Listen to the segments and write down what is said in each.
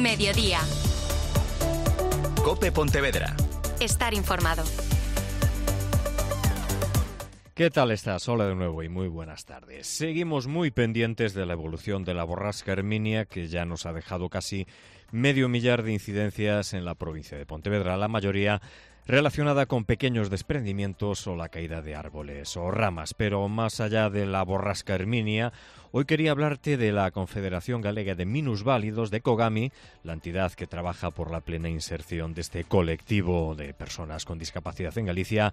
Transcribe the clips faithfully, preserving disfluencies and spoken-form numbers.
Mediodía. COPE Pontevedra. Estar informado. ¿Qué tal estás? Hola de nuevo y muy buenas tardes. Seguimos muy pendientes de la evolución de la borrasca Herminia, que ya nos ha dejado casi medio millar de incidencias en la provincia de Pontevedra, la mayoría relacionada con pequeños desprendimientos o la caída de árboles o ramas. Pero más allá de la borrasca Herminia, hoy quería hablarte de la Confederación Galega de Minusválidos de COGAMI, la entidad que trabaja por la plena inserción de este colectivo de personas con discapacidad en Galicia,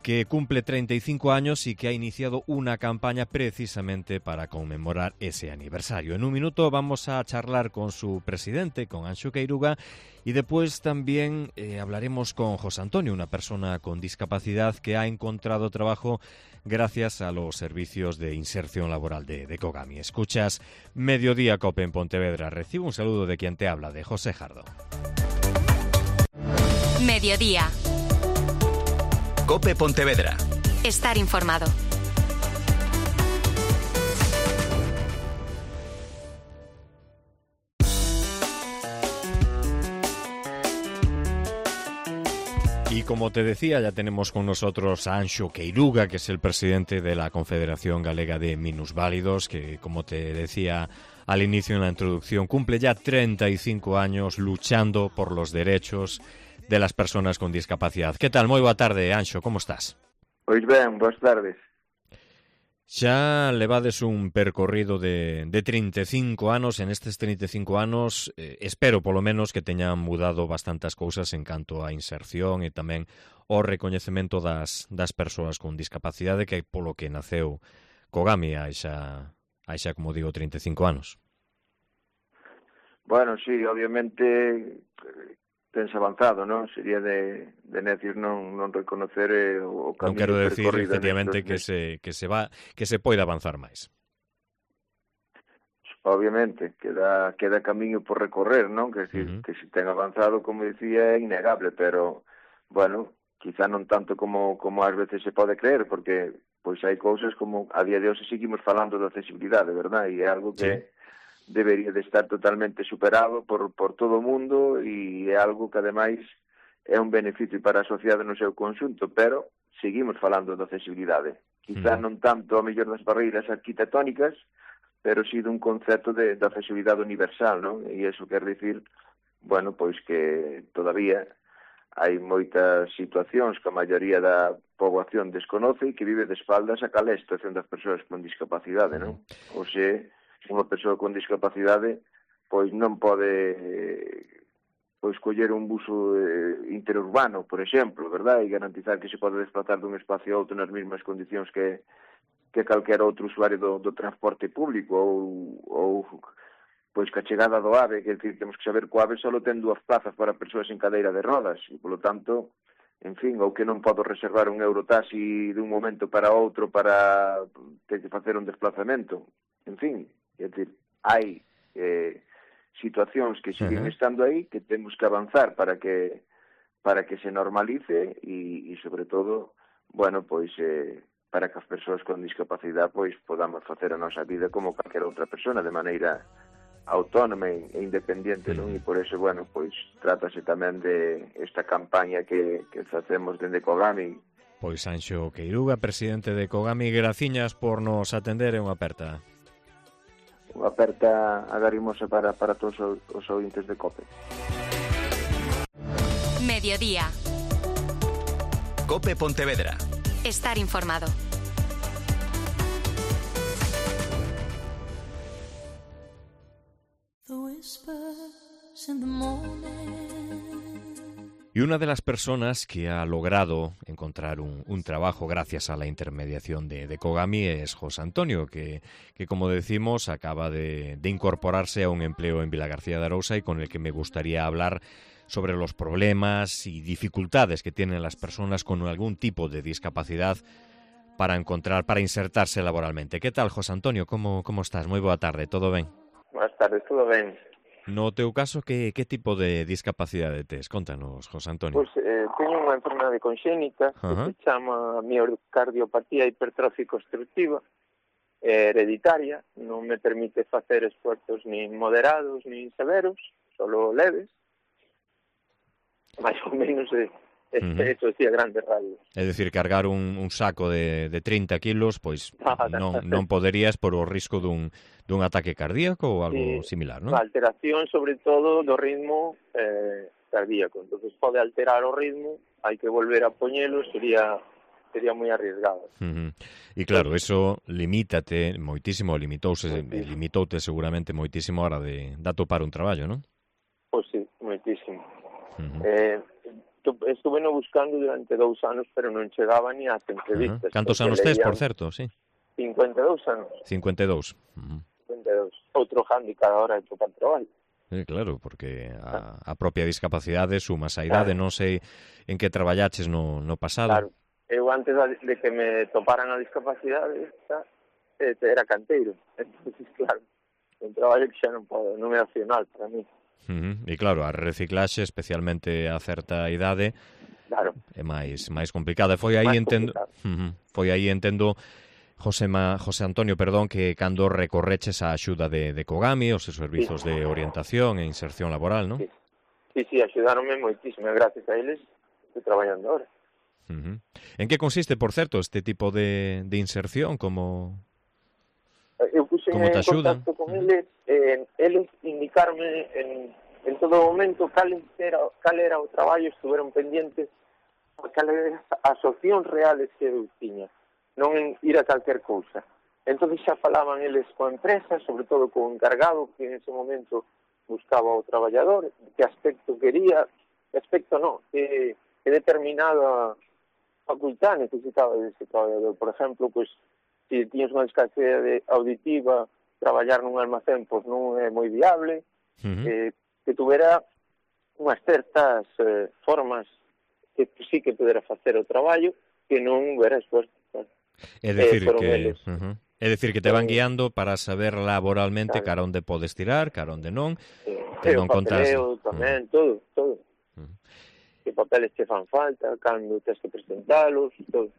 que cumple treinta y cinco años y que ha iniciado una campaña precisamente para conmemorar ese aniversario. En un minuto vamos a charlar con su presidente, con Anxo Queiruga, y después también eh, hablaremos con José Antonio, una persona con discapacidad que ha encontrado trabajo gracias a los servicios de inserción laboral de, de COGAMI. Escuchas Mediodía COPE en Pontevedra. Recibo un saludo de quien te habla, de José Jardo. Mediodía. COPE Pontevedra. Estar informado. Y como te decía, ya tenemos con nosotros a Anxo Queiruga, que es el presidente de la Confederación Galega de Minusválidos, que, como te decía al inicio en la introducción, cumple ya treinta y cinco años luchando por los derechos de las personas con discapacidad. ¿Qué tal? Moi boa tarde, Anxo, como estás? Pois ben, boas tardes. Xa levades un percorrido de, de treinta e cinco anos. En estes treinta e cinco anos eh, espero polo menos que teñan mudado bastantes cousas en canto á inserción e tamén ao recoñecemento das, das persoas con discapacidade, que polo que naceu COGAMI hai xa, hai xa, como digo, treinta e cinco anos. Bueno, sí, obviamente tens avanzado, non? Sería de, de necis non, non reconocer eh, o Non camiño quero decir, percorrido efectivamente, nestes, que se, que se va, que se pode avanzar máis. Obviamente, queda, queda camiño por recorrer, non? Que, decir, Uh-huh. que se ten avanzado, como dicía, é innegable, pero, bueno, quizá non tanto como, como ás veces se pode creer, porque pois hai cousas como a día de hoxe seguimos falando de accesibilidade, verdad? E é algo que sí debería de estar totalmente superado por, por todo o mundo, e é algo que, ademais, é un beneficio para a sociedade no seu conxunto, pero seguimos falando de accesibilidade. Quizá Uh-huh. non tanto a mellor das barreiras arquitectónicas, pero sí dun concepto de, de accesibilidade universal, non? E iso quer dicir, bueno, pois que todavía hai moitas situacións que a maioría da poboación desconoce e que vive de espaldas a cal é a situación das persoas con discapacidade, non? Ou se unha persoa con discapacidade pois non pode pois coller un buso eh, interurbano, por exemplo, verdad? E garantizar que se pode desplazar dun espacio a outro nas mesmas condicións que que calquera outro usuario do, do transporte público ou, ou pois que a chegada do AVE, que decir, temos que saber que o AVE só ten dúas plazas para persoas en cadeira de rodas e, polo tanto, en fin, ou que non podo reservar un eurotaxi dun momento para outro para ter que facer un desplazamento. En fin, é dicir, hai eh, situacións que siguen Uh-huh. estando aí, que temos que avanzar para que para que se normalice e, e sobre todo, bueno, pois eh, para que as persoas con discapacidade pois podamos facer a nosa vida como calquera outra persona de maneira autónoma e independente, non? E por eso, bueno, pois trátase tamén de esta campaña que, que facemos dende COGAMI. Pois Anxo Queiruga, presidente de COGAMI, graciñas por nos atender e unha aperta. Unha aperta agarimosa para, para todos os, os ouvintes de COPE. Mediodía. COPE Pontevedra. Estar informado. Y una de las personas que ha logrado encontrar un, un trabajo gracias a la intermediación de, de COGAMI es José Antonio, que, que como decimos acaba de, de incorporarse a un empleo en Vilagarcía de Arousa y con el que me gustaría hablar sobre los problemas y dificultades que tienen las personas con algún tipo de discapacidad para encontrar, para insertarse laboralmente. ¿Qué tal, José Antonio? ¿Cómo, cómo estás? Muy boa tarde, ¿todo ben? Boas tardes, todo ben. No teu caso, que, que tipo de discapacidade tes? Contanos, José Antonio. Pois eh, teño unha enfermedade conxénita que Ajá. se chama miocardiopatía hipertrófica obstructiva, eh, hereditaria, non me permite facer esfuerzos nin moderados nin severos, solo leves, máis ou menos é, é, uh-huh. Eso sí, a grandes radios. É dicir, cargar un, un saco de, de trinta kilos, pois non, non poderías por o risco dun, dun ataque cardíaco ou algo sí, similar, non? A alteración, sobre todo, do ritmo eh, cardíaco. Entonces pode alterar o ritmo, hai que volver a poñelo, sería sería moi arriesgado. Uh-huh. E claro, eso limítate moitísimo, limitouse, limitoute seguramente moitísimo a hora de, de atopar un traballo, non? Pois sí, moitísimo. Uh-huh. Eh, estuve no buscando durante dous anos, pero non chegaba ni ás entrevistas. Uh-huh. Cantos anos tes, por certo, sí? cincuenta e dous anos. cincuenta e dous. Uh-huh. cincuenta e dous. Outro handicap a hora de topar traballo. Sí, claro, porque a, a propia discapacidade sumas a idade, claro. Non sei en que traballaches no, no pasado. Claro, eu antes de que me toparan a discapacidade era canteiro, entonces claro, un traballo que xa non podo, non é opcional para mí. Uh-huh. E claro, a reciclaxe, especialmente a certa idade, claro, é máis máis complicada. Foi aí máis entendo, uh-huh. Foi aí entendo José, Ma, José Antonio, perdón, que cando recorreches a axuda de, de Kogami, os servizos sí. de orientación e inserción laboral, non? Sí, sí, sí, axudaronme moitísimo, gracias a eles estou traballando ahora. Uh-huh. En que consiste, por certo, este tipo de, de inserción? Como, eu puxe en contacto con uh-huh. eles, eh, eles indicarme en, en todo momento cal era, cal era o traballo, estuveron pendientes cal era as opcións reales que eu tiña, non en ir a calquer cousa. Entón xa falaban eles coa empresa, sobre todo co encargado que en ese momento buscaba o traballador, que aspecto quería, que aspecto non, que, que determinada facultad necesitaba dese traballador. Por exemplo, pues, se tiñas unha discapacidade auditiva, traballar nun almacén pois non é moi viable, uh-huh. eh, que tuvera unhas certas eh, formas que sí que pudera facer o traballo que non hubiera esforzo. É dicir eh, que uh-huh. é dicir que te van guiando para saber laboralmente claro. cara onde podes tirar, cara onde non, eh, que non contas tamén, uh-huh. todo, todo. Uh-huh. Que papeles te fan falta, cando tens que presentalos, todo.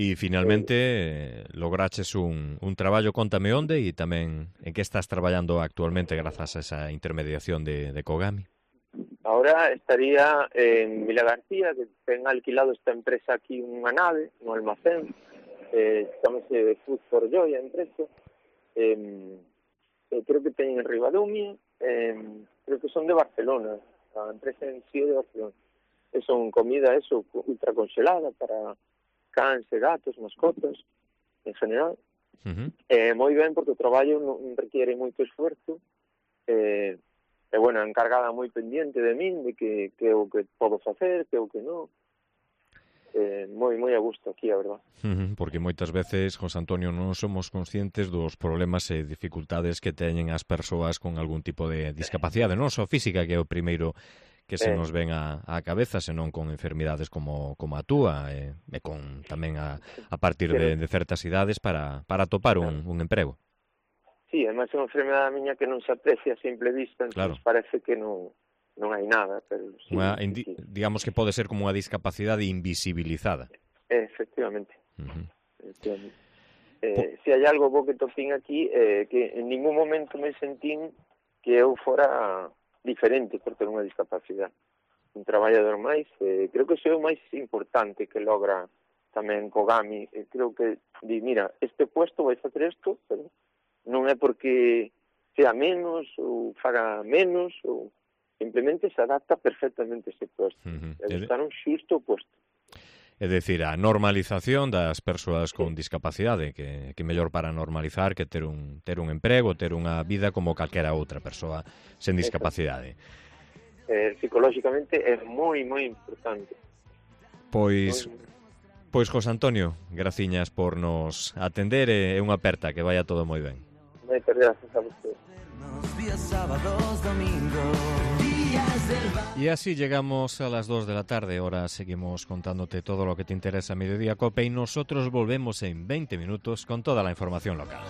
E finalmente eh, lograches un, un traballo, contame onde e tamén en que estás traballando actualmente grazas a esa intermediación de, de Kogami. Ahora estaría en Vila García, que ten alquilado esta empresa aquí unha nave, no almacén, eh, chamase Food for Joy a empresa, eh, eh, creo que ten en Ribadumia, eh, creo que son de Barcelona, a empresa en sí de Barcelona. E son comida, eso, ultra congelada para cans e gatos, mascotas, en general. Uh-huh. Eh, moi ben, porque o traballo non requiere moito esfuerzo, eh, e, bueno, encargada moi pendiente de min, de que, que é o que podo facer, que é o que non. Eh, moi, moi a gusto aquí, a verdad. Uh-huh, porque moitas veces, José Antonio, non somos conscientes dos problemas e dificultades que teñen as persoas con algún tipo de discapacidade, non só física, que é o primeiro que se nos ven a, a cabeza, senón con enfermidades como, como a túa, e, e con tamén a, a partir de, de certas idades para, para topar un, un emprego. Sí, además é unha enfermedade miña que non se aprecia a simple vista, entón claro. Parece que non... non hai nada, pero sí, unha, sí, sí. Digamos que pode ser como unha discapacidade invisibilizada. Efectivamente. Uh-huh. Efectivamente. Eh, po... Se hai algo bo que topín aquí, eh, que en ningún momento me sentín que eu fora diferente por ter unha discapacidade. Un traballador máis, eh, creo que iso é o máis importante que logra tamén Kogami. Eh, creo que di, mira, este puesto vai facer isto, pero non é porque sea menos ou faga menos ou simplemente se adapta perfectamente a ese puesto. Uh-huh. E buscar un xusto puesto. É dicir, a normalización das persoas con sí. discapacidade, que, que mellor para normalizar que ter un, ter un emprego, ter unha vida como calquera outra persoa sen discapacidade. Eh, psicolóxicamente é moi, moi importante. Pois, muy... pois José Antonio, graciñas por nos atender e unha aperta, que vaya todo moi ben. Moitas gracias a vostede. Y así llegamos a las dos de la tarde. Ahora seguimos contándote todo lo que te interesa a Mediodía Cope y nosotros volvemos en veinte minutos con toda la información local.